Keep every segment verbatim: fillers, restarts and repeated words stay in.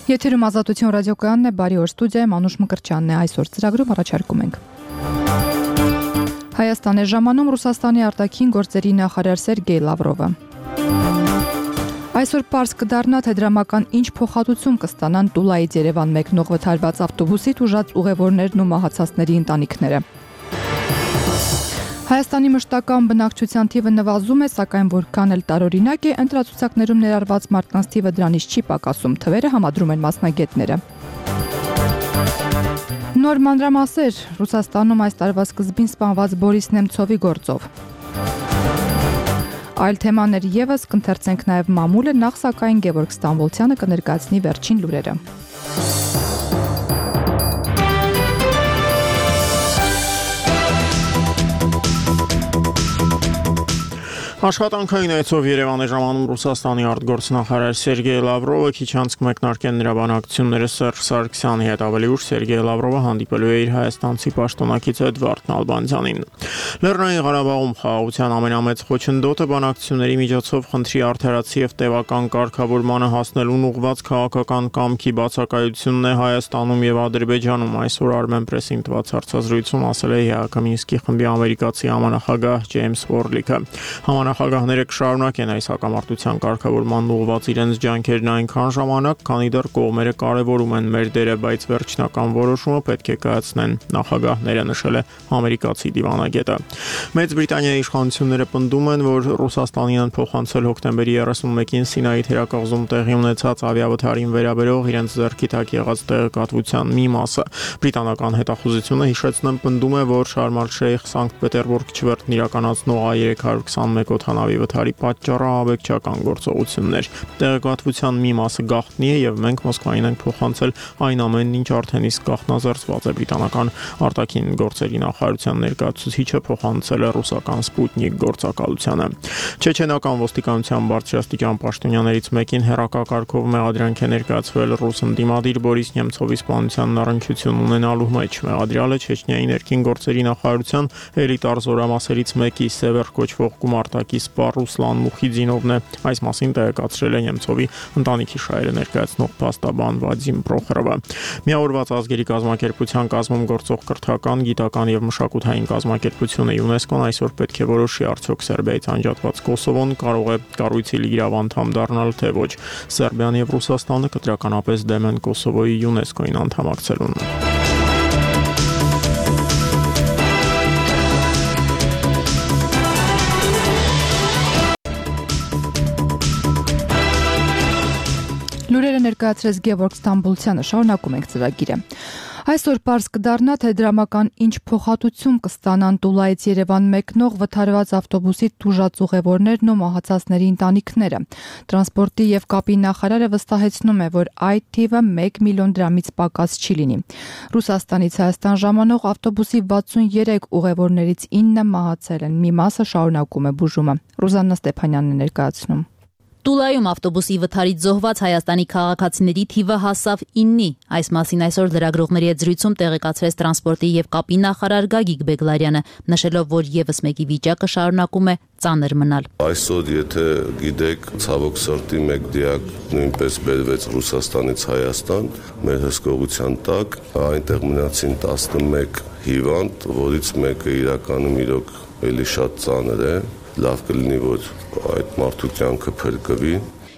Եթերում Ազատություն ռադիոկայանն է, բարի օր, ստուդիայում Անուշ Մկրտչյանն է, այսօր ծրագրում առաջարկում ենք։ Հայաստան է ժամանում Ռուսաստանի արտաքին գործերի նախարար Սերգեյ Լավրովը։ Այսօր պարզ կդառնա, թե դրամական ինչ փոխհատուցում կստանան Տուլայից Երևան մեկնող վթարված ավտոբուսի տուժած ուղևորներն ու մահացածների ընտանիքները։ Հայաստանի մշտական բնակչության թիվը նվազում է, սակայն որքան էլ տարօրինակ է, ընտրացուցակներում ներառված մարդկանց թիվը դրանից չի պակասում, թվերը համադրում են մասնագետները։ Նոր մանրամասեր Ռուսաստանում այս տարվա սկզբին սպանված Բորիս Նեմցովի գործով։ Այլ թեմաներ ևս կընթերցենք նաև մամուլը, նախ սակայն Գևորգ Ստամբոլցյանը կներկայացնի վերջին լուրերը։ Աշխատանքային այցով Երևան է ժամանում Ռուսաստանի արտգործնախարար Սերգեյ Լավրովը, քիչ անց կմեկնարկեն նրա բանակցությունները Սերժ Սարգսյանի հետ, ավելի ուշ Սերգեյ Լավրովը հանդիպելու է իր հայաստանցի պաշտոնակից Էդվարդ Նալբանդյանին։ Լեռնային Ղարաբաղում խաղաղության ամենամեծ խոչընդոտը բանակցությունների միջոցով խնդրի արդարացի եւ տևական կարգավորմանը հասնելուն ուղղված քաղաքական կամքի բացակայությունն է Հայաստանում եւ Ադրբեջանում, այսօր Armenpress-ին տված հարցազրույցում ասել է ԵԱՀԿ Մինսկի խմբի ամերիկացի համանախագահ Ջեյմս Վորլիքը։ Նախագահները կշարունակեն այս հակամարտության կարգավորման ուղղված իրենց ջանքերն այնքան ժամանակ, քանի դեռ կողմերը կարևորում են մեր դերը, բայց վերջնական որոշումը պետք է կայացնեն նախագահները, նշել է ամերիկացի դիվանագետը։ Մեծ Բրիտանիայի իշխանությունները պնդում են, որ Ռուսաստանին են փոխանցել հոկտեմբերի երեսունմեկին Սինայի թերակղզում տեղի ունեցած ավիավթարին վերաբերող իրենց ձեռքի տակ եղած տեղեկատվության մի մասը։ Բրիտանական հետախուզությունը հիշեցնեմ պնդում է, որ Շարմ ալ-Շեյխ Սանկտ Պետերբուրգ չվերթն իրականացնող A երեք հարյուր քսանմեկ օդանավի վթարի պատճառը ահաբեկչական գործողություններ։ Տեղեկատվության մի մասը գաղտնի է եւ մենք Մոսկվային ենք փոխանցել այն ամենն, ինչ արդեն իսկ գաղտնազերծված է, բրիտանական արտաքին գործերի նախարարության ներկայացուցիչը փոխանցել է ռուսական Սպուտնիկ գործակալությանը։ Չեչենական ոստիկանության բարձրաստիճան պաշտոնյաներից մեկին հերակակարգով մեղադրանք է ներկայացվել ռուս ընդդիմադիր Բորիս Նեմցովի սպանությանն առնչություն ունենալու մեջ։ Մեղադրյալը Չեչնիայի ներքին գործերի նախարարության էլիտար զորամասերից մեկի Սևեր կոչվող գումարտակի սպա Ռուսլան Մուխիդինովն է, այս մասին տեղեկացրել է Նեմցովի ընտանիքի շահերը ներկայացնող փաստաբան Վադիմ Պրոխորովը։ Միավորված ազգերի կազմակերպության կազմում գործող կրթական, գիտական եւ մշակութային կազմակերպությունը ՅՈՒՆԵՍԿՕ-ն այսօր պետք է որոշի, արդյոք Սերբիայից անջատված Կոսովոն կարող է կառույցի լիիրավ անդամ դառնալ, թե ոչ։ Սերբիան եւ Ռուսաստանը կտրականապես դեմ են Կոսովոյի ՅՈՒՆԵՍԿՕ-ին անդամակցելուն։ Լուրերը ներկայացրեց Գևորգ Ստամբոլցյանը, շարունակում ենք ծրագիրը։ Այսօր պարզ կդառնա, թե դրամական ինչ փոխհատուցում կստանան Տուլայից Երևան մեկնող վթարված ավտոբուսի տուժած ուղևորներն ու մահացածների ընտանիքները։ Տրանսպորտի եւ կապի նախարարը վստահեցնում է, որ այդ թիվը մեկ միլիոն դրամից պակաս չի լինի։ Ռուսաստանից Հայաստան ժամանող ավտոբուսի վաթսուներեք ուղևորներից ինը մահացել են, մի մասը շարունակում է բուժումը։ Ռուզաննա Ստեփանյանն է ներկայացնում։ Տուլայում ավտոբուսի վթարից զոհված Հայաստանի քաղաքացիների թիվը հասավ ինի։ Այս մասին այսօր լրագրողների հետ զրույցում տեղեկացրեց տրանսպորտի եւ կապի նախարար Գագիկ Բեգլարյանը, նշելով, որ եւս մեկի վիճակը շարունակում է ծանր մնալ։ Այսօր, եթե գիտեք, ցավոք սրտի մեկ դիակ նույնպես բերվեց Ռուսաստանից Հայաստան, մեր հսկողության տակ, այնտեղ մնացին տասնմեկ հիվանդ, որից մեկը իրականում իրոք էլի շատ ծանր է։ Լավ կլինի, որ այդ մարդու կյանքը փրկվի։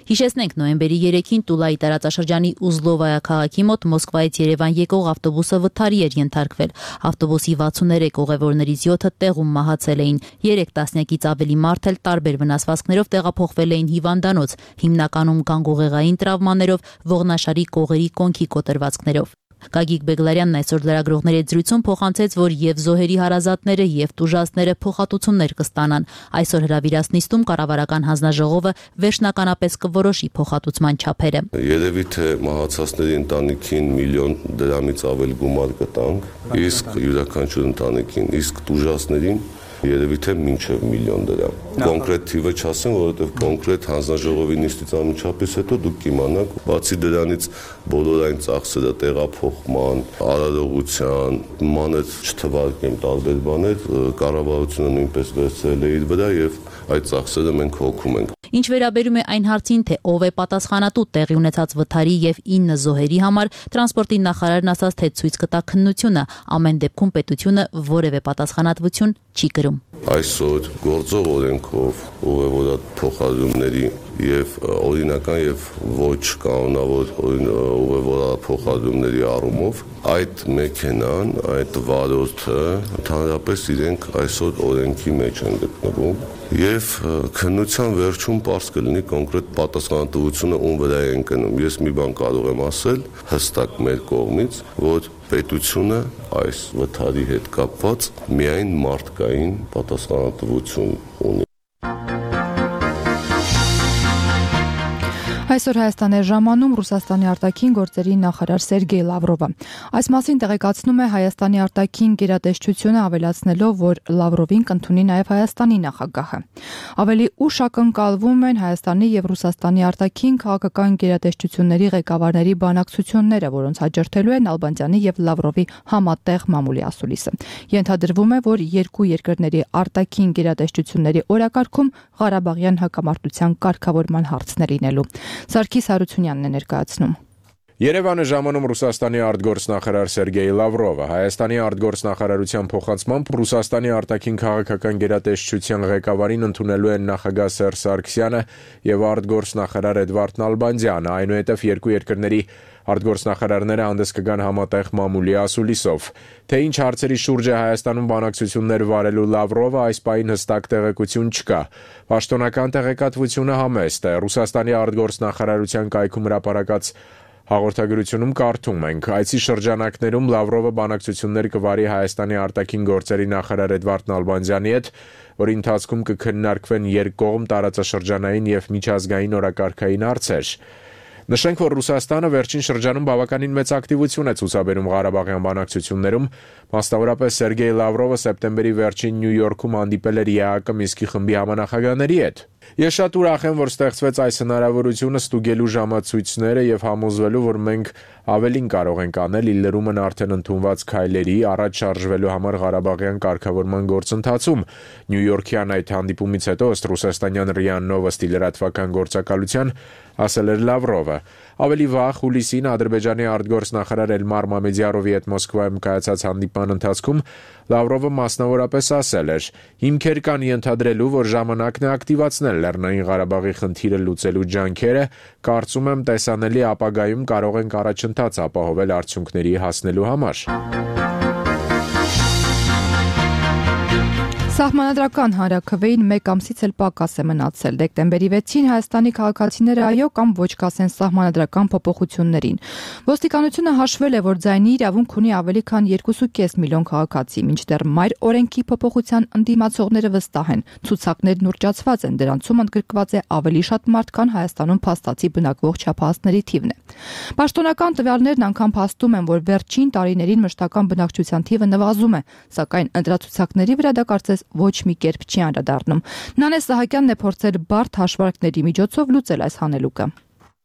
Հիշեցնենք, նոյեմբերի երեքին Տուլայի տարածաշրջանի Ուզլովայա քաղաքի մոտ Մոսկվայից Երևան եկող ավտոբուսը վթարի էր ենթարկվել։ Ավտոբուսի վաթսուներեք ուղևորներից յոթը տեղում մահացել էին։ երեք տասնյակից ավելի մարդ էլ տարբեր վնասվածքներով տեղափոխվել էին հիվանդանոց, հիմնականում գանգուղեղային տրավմաներով, ողնաշարի կողերի կոնքի կոտրվածքներով։ Գագիկ Բեգլարյանն այսօր լրագրողների հետ զրույցում փոխանցեց, որ եւ զոհերի հարազատները եւ տուժածները փոխհատուցումներ կստանան։ Այսօր հրավիրած նիստում կառավարական հանձնաժողովը վերջնականապես կորոշի փոխհատուցման չափերը։ Երևի թե մահացածների ընտանիքին միլիոն դրամից ավել գումար կտանք, իսկ յուրաքանչյուր ընտանիքին, իսկ տուժածներին երևի թե մինչև միլիոն դրամ։ Կոնկրետ թիվը չասեմ, որովհետև կոնկրետ հանձնաժողովի նիստից անմիջապես հետո դուք կիմանաք, բացի դրանից բոլոր այն ծախսերը տեղափոխման, արարողության, մանր չթվարկեմ տարբեր բաներ, կառավարությունը նույնպես վերցրել է իր վրա եւ այդ ծախսերը մենք հոգում ենք։ Ինչ վերաբերում է այն հարցին, թե ով է պատասխանատու տեղի ունեցած վթարի եւ ինը զոհերի համար, տրանսպորտի նախարարն ասաց, թե ցույց կտա քննությունը, ամեն դեպքում պետությունը որևէ պատասխանատվություն չի կրում։ Այսօր գործող օրենքով ուղևորած փոխադրումների եւ օրինական եւ ոչ կանոնավոր ուղևորած փոխադրումների առումով այդ մեքենան, այդ վարորդը ընդհանրապես իրենք այսօր օրենքի մեջ են գտնվում եւ քննության վերջում պարզ կլինի կոնկրետ պատասխանատվությունը ում վրա է ընկնում։ Ես մի բան կարող եմ ասել հստակ մեր կողմից, որ պետությունը այս վթարի հետ կապված միայն մարդկային պատասխանատվություն ունի։ Այսօր Հայաստան է ժամանում Ռուսաստանի արտաքին գործերի նախարար Սերգեյ Լավրովը։ Այս մասին տեղեկացնում է Հայաստանի արտաքին գերատեսչությունը, ավելացնելով, որ Լավրովին կընդունի նաև Հայաստանի նախագահը։ Ավելի ուշ ակնկալվում են Հայաստանի եւ Ռուսաստանի արտաքին քաղաքական գերատեսչությունների ղեկավարների բանակցությունները, որոնց հաջորդելու է Նալբանդյանի եւ Լավրովի համատեղ մամուլի ասուլիսը։ Ենթադրվում է, որ երկու երկրների արտաքին գերատեսչությունների օրակարգում Ղարաբաղյան հակամարտության կարգավորման հարցներ լինելու։ Սարգիս Հարությունյանն է ներկայացնում։ Երևանը ժամանում Ռուսաստանի արտգործնախարար Սերգեյ Լավրովը, Հայաստանի արտգործնախարարության փոխանցմամբ Ռուսաստանի արտաքին քաղաքական գերատեսչության ղեկավարին ընդունելու են նախագահ Սերժ Սարգսյանը եւ արտգործնախարար Էդվարդ Նալբանդյանը, այնուհետև երկու երկրների արտգործնախարարները հանդես կգան համատեղ մամուլի ասուլիսով։ Թե ինչ հարցերի շուրջ է Հայաստանում բանակցություններ վարելու Լավրովը, այս պահին հստակ տեղեկություն չկա։ Պաշտոնական տեղեկատվությունը համեստ է։ Ռուսաստանի արտգործնախարարության կայքում հրապարակած հաղորդագրությունում կարդում ենք. Այցի շրջանակներում Լավրովը բանակցություններ կվարի Հայաստանի արտաքին գործերի նախարար Էդվարդ Նալբանդյանի հետ, որի ընթացքում կքննարկվեն երկկողմ տարածաշրջանային եւ միջազգային օրակարգային հարցեր։ Նշենք, որ Ռուսաստանը վերջին շրջանում բավականին մեծ ակտիվություն է ցուցաբերում Ղարաբաղյան բանակցություններում, մասնավորապես Սերգեյ Լավրովը սեպտեմբերի վերջին Նյու Յորքում հանդիպել էր ԵԱՀԿ Մինսկի խմբի համանախագահների հետ։ Ես շատ ուրախ եմ, որ ստեղծվեց այս հնարավորությունը ստուգելու ժամացույցները եւ համոզվելու, որ մենք ավելին կարող ենք անել ի լրումն արդեն ընդունված քայլերի առաջ շարժվելու համար Ղարաբաղյան կարգավորման գործընթացում։ Նյու Յորքյան այդ հանդիպումից հետո ըստ ռուսաստանյան ՌԻԱ Նովոստի լրատվական գործակալության ասել էր Լավրովը։ Ավելի վաղ հուլիսին Ադրբեջանի արտգործնախարար Էլմար Մամեդյարովի հետ Մոսկվայում կայացած հանդիպման ընթացքում Լավրովը մասնավորապես ասել էր. «Հիմքեր կան ենթադրելու, որ ժամանակն է ակտիվացնել Լեռնային Ղարաբաղի խնդիրը լուծելու ջանքերը, կարծում եմ տեսանելի ապագայում կարող ենք առաջընթաց ապահովել արդյունքների հասնելու համար»։ Սահմանադրական հանրաքվեին մեկ ամսից էլ պակաս է մնացել։ Դեկտեմբերի վեցին Հայաստանի քաղաքացիները այո կամ ոչ կասեն սահմանադրական փոփոխություններին։ Ոստիկանությունը հաշվել է, որ ձայնի իրավունք ունի ավելի քան երկու կես միլիոն քաղաքացի, մինչդեռ մայր օրենքի փոփոխության ընդդիմացողները վստահ են։ Ցուցակներն ուռճացված են, դրանցում ընդգրկված է ավելի շատ մարդ, քան Հայաստանում փաստացի բնակվող չափահասների թիվն է։ Պաշտոնական տվյալներն անգամ փաստում են, որ վերջին տարիներին մշտական բնակչության թիվը նվազում է, սակայն ընտրացուցակների վրա դա կարծես ոչ մի կերպ չի անդրադառնում։ Նանե Սահակյանն է փորձել բարդ հաշվարկների միջոցով լուծել այս հանելուկը։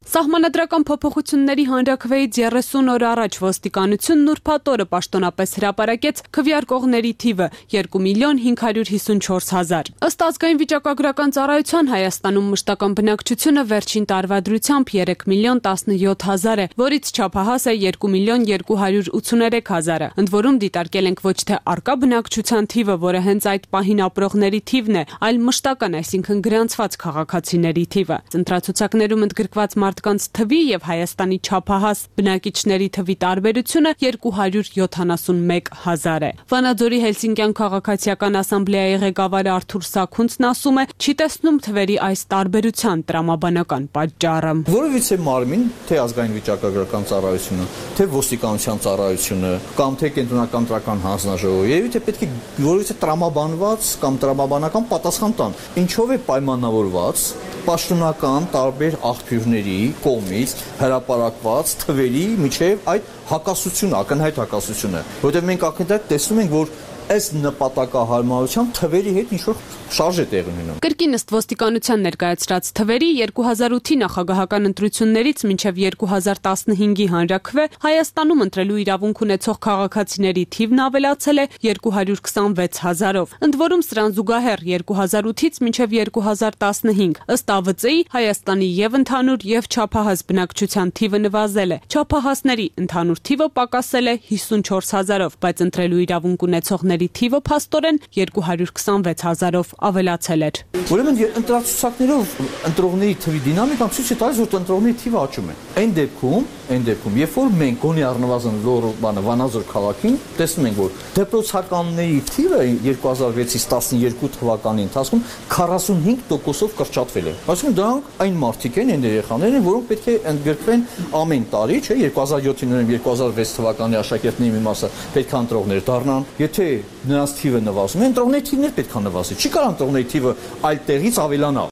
Սահմանադրական փոփոխությունների հանրաքվեից երեսուն օր առաջ ոստիկանությունն ուրբաթ օրը պաշտոնապես հրապարակեց քվեարկողների թիվը երկու միլիոն հինգ հարյուր հիսունչորս հազար։ Ըստ ազգային վիճակագրական ծառայության Հայաստանում մշտական բնակչությունը վերջին տարվա դրությամբ երեք միլիոն տասնյոթ հազար է, որից չափահաս է երկու միլիոն երկու հարյուր ութսուներեք հազարը։ Ընդ որում դիտարկել ենք ոչ թե արկա բնակչության թիվը, որը հենց այդ պահին ապրողների թիվն է, այլ մշտական, այսինքն գրանցված քաղաքացիների թիվը։ Ընտրացուցակներում ընդգրկված մարդկանց թվի եւ Հայաստանի չափահաս բնակիչների թվի տարբերությունը երկու հարյուր յոթանասունմեկ հազար է։ Վանաձորի Հելսինկյան քաղաքացիական ասամբլեայի ղեկավար Արթուր Սաքունցն ասում է, չի տեսնում թվերի այս տարբերության տրամաբանական պատճառը։ Որովհետեւ մարմին, թե ազգային վիճակագրական ծառայությունը, թե ոստիկանության ծառայությունը, կամ թե կենտրոնական տրական հանձնաժողովը, երևի թե պետք է որովհետեւ տրամաբանված կամ տրամաբանական պատասխան տան։ Ինչով է պայմանավորված պաշտոնական տարբեր աղբյուրների կողմից հրապարակված թվերի միջև այդ հակասությունը, ակնհայտ հակասությունը, որովհետև մենք ակնհայտ տեսնում ենք, որ այս նպատակահարմարությամբ թվերի հետ ինչ-որ շարժ է տեղի ունենում։ Կրկին ըստ ոստիկանության ներկայացրած թվերի երկու հազար ութի նախագահական ընտրություններից մինչև երկու հազար տասնհինգի հանրաքվե Հայաստանում ընտրելու իրավունք ունեցող քաղաքացիների թիվն ավելացել է երկու հարյուր քսանվեց հազարով։ Ընդ որում սրան զուգահեռ երկու հազար ութից մինչև երկու հազար տասնհինգ ըստ A V C-ի Հայաստանի եւ ընդհանուր եւ չափահաս բնակչության թիվը նվազել է։ Չափահասների ընդհանուր թիվը պակասել է հիսունչորս հազարով, բայց ընտրելու իրավունք ունեցողների թիվը փաստորեն երկու հարյուր քսանվեց հազարով ավելացել էր։ Ուրեմն ընտրացուցակներով ընտրողների թվի դինամիկան ցույց է տալիս, որ ընտրողների թիվը աճում է։ Այն դեպքում, այն դեպքում, երբ որ մենք գոնե առնվազն լոռ բանը Վանաձոր քաղաքին տեսնում ենք, որ դեպրոցականների թիվը երկու հազար վեցից տասնյոթ թվականի ընթացքում քառասունհինգ տոկոսով կրճատվել է։ Այսինքն դրանք այն մարդիկ են, այն երեխաներ են, որոնք պետք է ընդգրկվեն ամեն տարի, չէ, երկու հազար յոթին ուրեմն երկու հազար վեց թվականի աշակերտների մի մասը պետք է ընտրողներ դառնան։ Եթե նրանց թիվը նվազում է, ընտրողների թիվն էլ պետք է նվազի։ Չի կարող ընտրողների թիվը այլ տեղից ավելանա։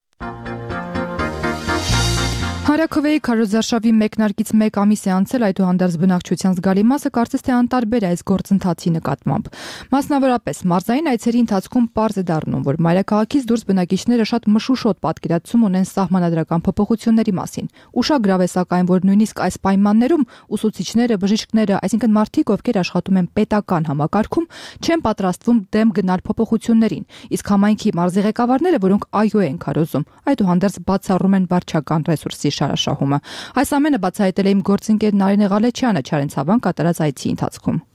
Հանրաքվեի քարոզարշավի մեկնարկից մեկ ամիս է անցել, այդուհանդերձ բնակչության զգալի մասը կարծես թե անտարբեր է այս գործընթացի նկատմամբ։ Մասնավորապես մարզային այցերի ընթացքում պարզ է դառնում, որ մայրաքաղաքից դուրս բնակիչները շատ մշուշոտ պատկերացում ունեն սահմանադրական փոփոխությունների մասին։ Ուշագրավ է սակայն, որ նույնիսկ այս պայմաններում ուսուցիչները, բժիշկները, այսինքն մարդիկ, ովքեր աշխատում են պետական համակարգում, չեն պատրաստվում դեմ գնալ փոփոխություններին, իսկ համայնքի մարզի ղեկավարները, որոնք այո են քարոզում, այդուհանդերձ բացառում են վարչական ռեսուրսի շարաշահումը։ Այս ամենը բացահայտել է իմ գործընկեր Նարինե Ղալեչյանը Չարենցավան կատարած այցի ընթացքում։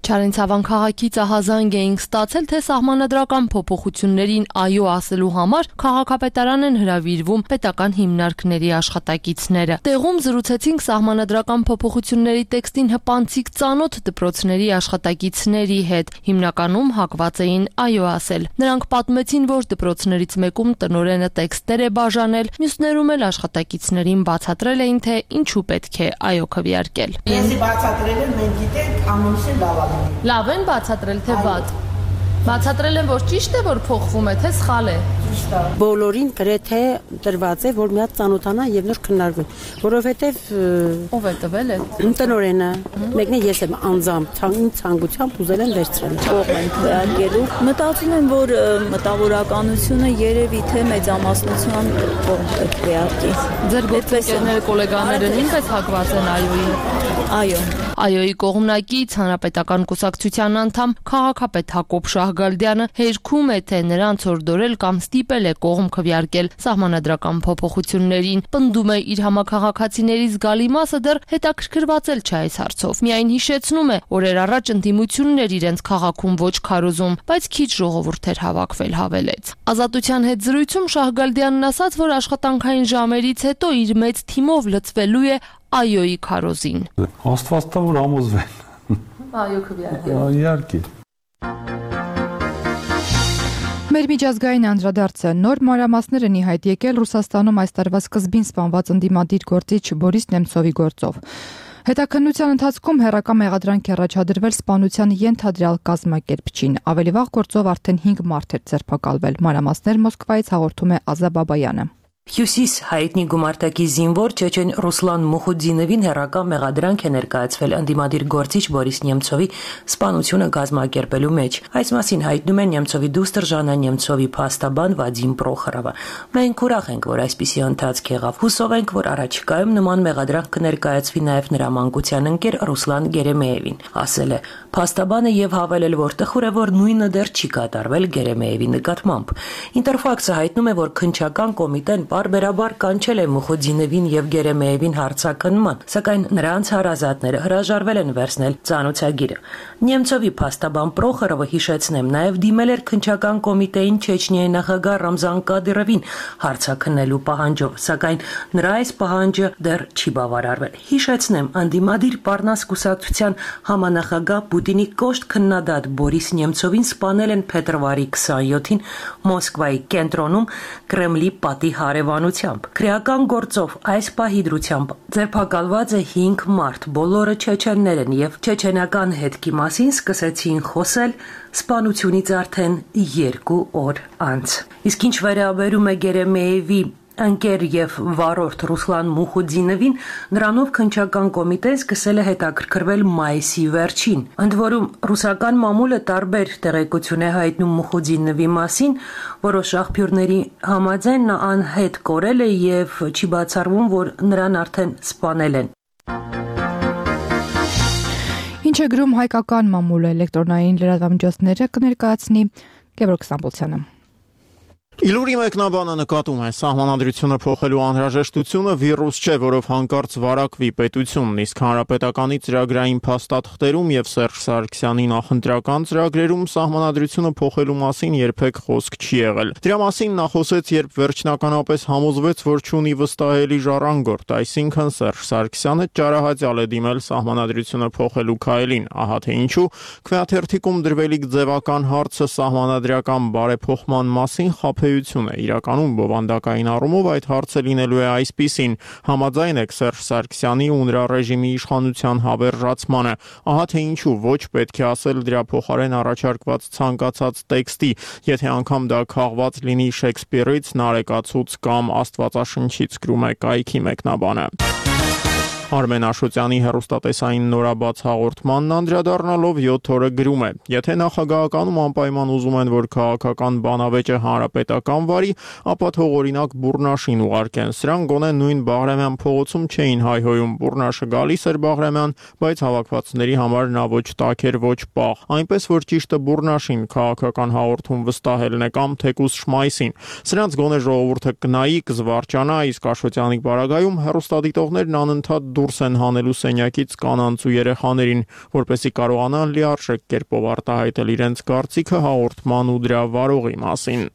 Չարենցավան քաղաքից ահազանգ էինք ստացել, թե սահմանադրական փոփոխություններին այո ասելու համար քաղաքապետարան են հրավիրվում պետական հիմնարկների աշխատակիցները։ Տեղում զրուցեցինք սահմանադրական փոփոխությունների տեքստին հպանցիկ ծանոթ դպրոցների աշխատակիցների հետ։ Հիմնականում հակված էին այո ասել։ Նրանք պատմեցին, որ դպրոցներից մեկում տնօրենը տեքստեր է բաժանել, մյուսներում էլ աշխատակիցներին բացատրել էին, թե ինչու պետք է այո քվեարկել։ Ես բացատրել եմ, մենք գիտենք ամուսին լավ Լավ են բացատրել, թե վատ։ Բացատրել են, որ ճիշտ է, որ փոխվում է, թե սխալ է։ Բոլորին գրեթե տրված է, որ մի հատ ծանոթանա եւ նոր քննարկվեն, որովհետեւ ով է տվել է։ Տնօրենը, մեկն է ես եմ անձամբ ցանկությամբ ուզել եմ վերցրել։ Կողմ են քվեարկելու։ Մտածում եմ, որ մտավորականությունը երևի թե մեծամասնության կողմ է քվեարկի։ Ձեր գործընկերները, գոլեգաները նույնպես հակված են այոյին։ Այո։ Այոյի կողմնակից հանրապետական կուսակցության անդամ քաղաքապետ Հակոբ Շահգալդյանը հերքում է, թե նրանց օրդորել կամ ստիպել է կողմ քվեարկել սահմանադրական փոփոխություններին։ Պնդում է իր համակարգացիների զգալի մասը դեռ հետաքրքրվածել չէ այս հարցով։ Միայն հիշեցնում է, օրեր առաջ ընդդիմություններ իրենց քաղաքում ոչ քարոզում, բայց քիչ ժողովուրդ էր հավաքվել, հավելեց։ Ազատության հետ զրույցում Շահգալդյանն ասաց, որ աշխատանքային ժամերից հետո իր մեծ թիմով լծվելու է այոյի քարոզին։ Աստված տա որ համոզվեն։ Այո քվեարկել։ Իհարկե։ Մեր միջազգային անդրադարձը նոր մանրամասներ են ի հայտ եկել Ռուսաստանում այս տարվա սկզբին սպանված ընդդիմադիր գործիչ Բորիս Նեմցովի գործով։ Հետաքննության ընթացքում հերրական մեղադրանք է առաջադրվել սպանության ենթադրյալ կազմակերպչին։ Ավելի վաղ գործով արդեն հինգ մարդ էր ձերբակալվել։ Մանրամասներ Մոսկվայից հաղորդում է Ազա Բաբայանը։ Հյուսիս հայտնի գումարտակի զինվոր Չեչեն Ռուսլան Մուխուդինովին հերրական մեղադրանք է ներկայացվել ընդդիմադիր գործիչ Բորիս Նեմցովի սպանությունը կազմակերպելու մեջ։ Այս մասին հայտնում է Նեմցովի դուստր Ժաննա Նեմցովի փաստաբան Վադիմ Պրոխորովը։ Մենք ուրախ ենք, որ այսպիսի ընթացք եղավ։ Հուսով ենք, որ առաջիկայում նման մեղադրանք կներկայացվի նաև նրա մանկության ընկեր Ռուսլան Գերեմեևին, ասել է փաստաբանը եւ հավելել, որ տխուր է, որ նույնը դեռ չի կատարվել Գերեմեևի նկատմամբ։ Ինտերֆաքսը հայտնում է, որ քննչական կոմիտեն Բարբերաբար կանչել է Մուխուդինովին եւ Գերեմեևին հարցակնման, սակայն նրանց հարազատները հրաժարվել են վերցնել ծանոթագիրը։ Նեմցովի փաստաբան Պրոխորովը հիշեցնեմ նաեւ դիմել էր քննչական կոմիտեին Չեչնիայի նախագահ Ռամզան Կադիրովին հարցակնելու պահանջով, սակայն նրա այս պահանջը դեռ չի բավարարվել։ Հիշեցնեմ, անդիմադիր Պարնաս կուսակցության համանախագահ Պուտինի կոշտ քննադատ Բորիս Նեմցովին սպանել են փետրվարի քսանյոթին Մոսկվայի կենտրոնում Կրեմլի պատի հարևանությամբ։ Քրեական գործով այս պահի դրությամբ ձերբակալված է հինգ մարդ, բոլորը չեչեններ են եւ չեչենական հետքի մասին սկսեցին խոսել սպանությունից արդեն երկու օր անց։ Իսկ ինչ վերաբերում է Գերեմեևի ընկեր եւ վարորդ Ռուսլան Մուխուդինովին նրանով քննչական կոմիտեն սկսել է հետաքրքրվել մայիսի վերջին։ Ընդ որում ռուսական մամուլը տարբեր տեղեկություն է հայտնում Մուխուդինովի մասին, որոշ աղբյուրների համաձայն նա անհետ կորել է եւ չի բացառվում, որ նրան արդեն սպանել են։ Ինչ է գրում հայկական մամուլը, էլեկտրոնային լրատվամիջոցները կներկայացնի Գևորգ Ստամբոլցյանը։ Իլուրի մեկնաբանը նկատում է սահմանադրությունը փոխելու անհրաժեշտությունը վիրուս չէ, որով հանկարծ վարակվի պետությունն, իսկ հանրապետականի ծրագրային փաստաթղթերում եւ Սերժ Սարգսյանի նախընտրական ծրագրերում սահմանադրությունը փոխելու մասին երբեք խոսք չի եղել։ Դրա մասին նա խոսեց, երբ վերջնականապես համոզվեց, որ չունի վստահելի ժառանգորդ, այսինքն Սերժ Սարգսյանը ճարահատյալ է դիմել սահմանադրությունը փոխելու քայլին, ահա թե ինչու քվեաթերթիկում դրվելիք ձևական հարցը սահմանադրական բարեփոխման մասին խափ Իրականում բովանդակային առումով այդ հարցը լինելու է այսպիսին. համաձայն եք Սերժ Սարգսյանի ու նրա ռեժիմի իշխանության հավերժացմանը, ահա թե ինչու ոչ պետք է ասել դրա փոխարեն առաջարկված ցանկացած տեքստի, եթե անգամ դա քաղված լինի Շեքսպիրից, Նարեկացուց կամ Աստվածաշնչից, գրում է կայքի մեկնաբանը։ Արմեն Աշոտյանի հեռուստատեսային նորաբաց հաղորդմանն անդրադառնալով յոթ օրը գրում է. Եթե նախագահականում անպայման ուզում են, որ քաղաքական բանավեճը հանրապետական վարի, ապա թող օրինակ Բուռնաշին ուղարկեն։ Սրանք գոնե նույն Բաղրամյան փողոցում չէին հայհոյում, Բուռնաշը գալիս էր Բաղրամյան, բայց հավաքվածների համար նա ոչ տաք էր, ոչ պաղ։ Այնպես որ ճիշտը Բուռնաշին քաղաքական հաղորդում վստահելն է կամ թեկուզ Շմայսին։ Սրանց գոնե ժողովուրդը կնայի, կզվարճանա, իսկ Աշոտյանի բaragայում հեռուստադիտողներն անընդհատ դուրս են հանելու սենյակից կանանց ու երեխաներին, որպեսզի կարողանան լիարժեք կերպով արտահայտել իրենց կարծիքը հաղորդման ու դրա վարողի մասին։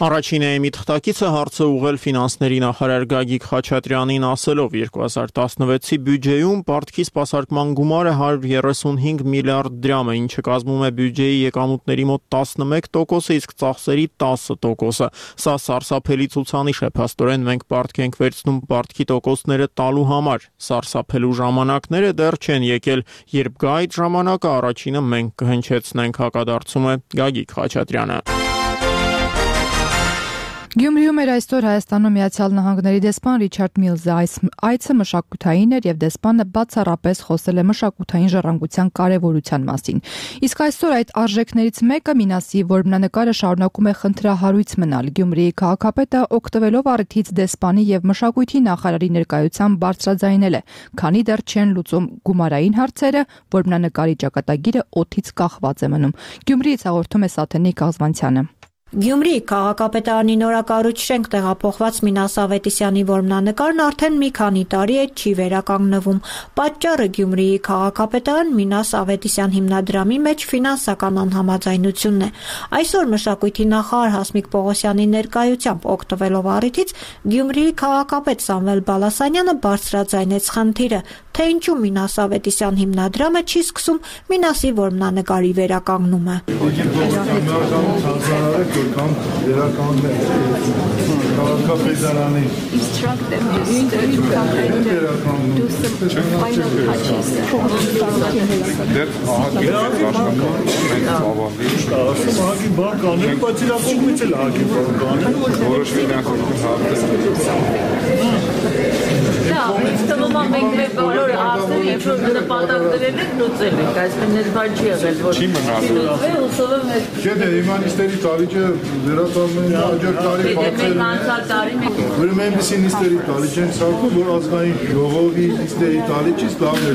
Առաջին էմի թղթակիցը հարցը ուղղել ֆինանսների նախարար Գագիկ Խաչատրյանին ասելով երկու հազար տասնվեցի բյուջեում պարտքի սպասարկման գումարը հարյուր երեսունհինգ միլիարդ դրամ է, ինչը կազմում է բյուջեի եկամուտների մոտ տասնմեկ տոկոսը, իսկ ծախսերի տասը տոկոսը։ Սա սարսափելի ցուցանիշ է, փաստորեն մենք պարտք ենք վերցնում պարտքի տոկոսները տալու համար։ Սարսափելու ժամանակները դեռ չեն եկել, երբ գա այդ ժամանակը առաջինը մենք կհնչեցնենք, հակադարձում է Գագիկ Խաչատրյանը։ Գյումրիում էր այսօր Հայաստանում Միացյալ Նահանգների դեսպան Ռիչարդ Միլզը, այցը մշակութային էր եւ դեսպանը բացառապես խոսել է մշակութային ժառանգության կարեւորության մասին։ Իսկ այսօր այդ արժեքներից մեկը Մինասի որմնանկարը շարունակում է խնդրահարույց մնալ։ Գյումրիի քաղաքապետը օգտվելով առիթից դեսպանի եւ մշակույթի նախարարի ներկայությամբ բարձրաձայնել է, քանի դեռ չեն լուծում գումարային հարցերը, որմնանկարի ճակատագիրը օդից կախված է մնում։ Գյումրիից հաղորդում է Սաթենիկ Աղզվանցյանը։ Գյումրիի քաղաքապետարանի նորակառույց շենք տեղափոխված Մինաս Ավետիսյանի որմնանկարն արդեն մի քանի տարի է չի վերականգնվում։ Պատճառը Գյումրիի քաղաքապետարան Մինաս Ավետիսյան հիմնադրամի մեջ ֆինանսական անհամաձայնությունն է։ Այսօր մշակույթի նախարար Հասմիկ Պողոսյանի ներկայությամբ օգտվելով առիթից Գյումրիի քաղաքապետ Սամվել Բալասանյանը բարձրաձայնեց խնդիրը, թե ինչու Մինաս Ավետիսյան հիմնադրամը չի սկսում Մինասի որմնանկարի վերականգնումը։ Կամ վերականգնել քաղաքապետարանի ահագին բան կանենք, բայց իրա կողմից էլ ահագին բան կանենք, որոշ ֆինանսական հարցեր։ Ինձ թվում է մենք մեր բոլոր հարցերը երբ որ նպատակ դրել ենք լուծել ենք, այսինքն այս բան չի եղել, որ չի մնացել, ուսով եմ։ Չէ, դե իմանիստերի տարիքը վերածալու հաջորդ տարի բացել։ Անցյալ տարի մենք ուրեմն այնպիսի նիստերի տարիք են ցանկում, որ ազգային ժողովի նիստերի տարիքից լավն է։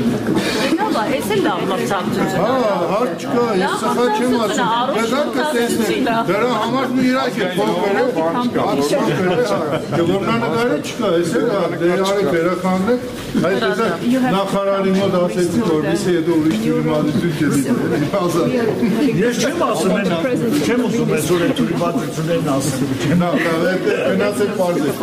Լավ է, այս էլ լավ ցանկություն։ Հա, հարց չկա, ես սխալ չեմ ասում։ Դեռ կտեսնենք։ Դրա համար ու իրաք է փոխվել է, բան չկա։ Որմնանկարը չկա, այս էլ դերարի վերականգնեք, այդ դե նախարարի մոտ ասեցի, որպեսզի հետո ուրիշ դիմադրություն չլինի։ Ես չեմ ասում են, չեմ ուզում այսօր այդ դիմադրություններն ասել։ Նա գնացել պարզեք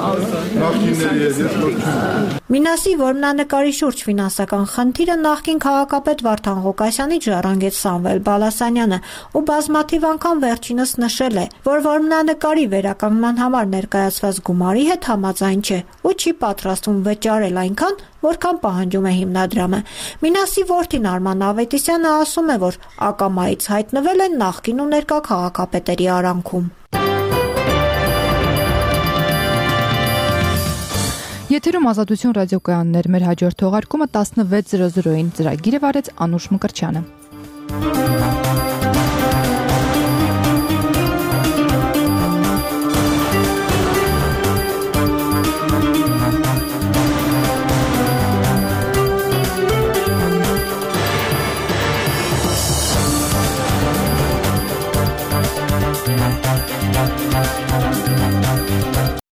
նախկինների հետ։ Մինասի որմնանկարի շուրջ ֆինանսական խնդիրը նախկին քաղաքապետ Վարդան Ղուկասյանից ժառանգեց Սամվել Բալասանյանը ու բազմաթիվ անգամ վերջինս նշել է, որ որմնանկարի վերականգնման համար ներկայացված գումարի հետ համաձայն չէ ու չի պատրաստվում վճարել այնքան, որքան պահանջում է հիմնադրամը։ Մինասի որդին Արման Ավետիսյանը ասում է, որ ակամայից հայտնվել են նախկին ու ներկա քաղաքապետերի արանքում։ Եթերում Ազատություն ռադիոկայաններ, մեր հաջորդ թողարկումը տասնվեց զրո զրոին ծրագիրը վարեց Անուշ Մկրտչյանը։